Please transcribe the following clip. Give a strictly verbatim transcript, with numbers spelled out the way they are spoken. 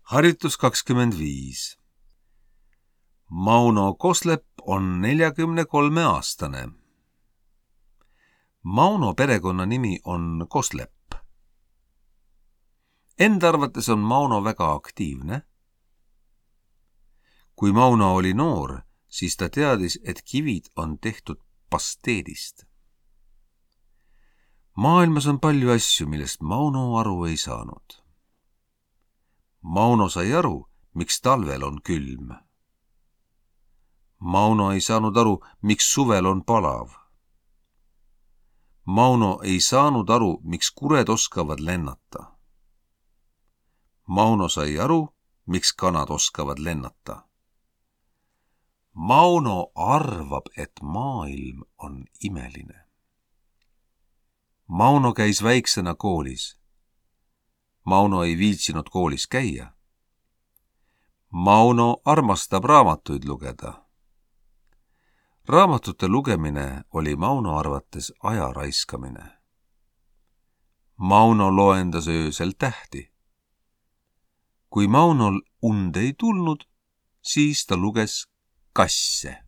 Harjutus kakskümmend viis. Mauno Koslepp on neljakümne kolme aastane. Mauno perekonna nimi on Koslepp. Enda arvates on Mauno väga aktiivne. Kui Mauno oli noor, siis ta teadis, et kivid on tehtud pasteedist. Maailmas on palju asju, millest Mauno aru ei saanud. Mauno sai aru, miks talvel on külm. Mauno ei saanud aru, miks suvel on palav. Mauno ei saanud aru, miks kured oskavad lennata. Mauno sai aru, miks kanad oskavad lennata. Mauno arvab, et maailm on imeline. Mauno käis väiksena koolis. Mauno ei viitsinud koolis käia. Mauno armastab raamatuid lugeda. Raamatute lugemine oli Mauno arvates aja raiskamine. Mauno loendas öösel tähti. Kui Maunol und ei tulnud, siis ta luges kasse.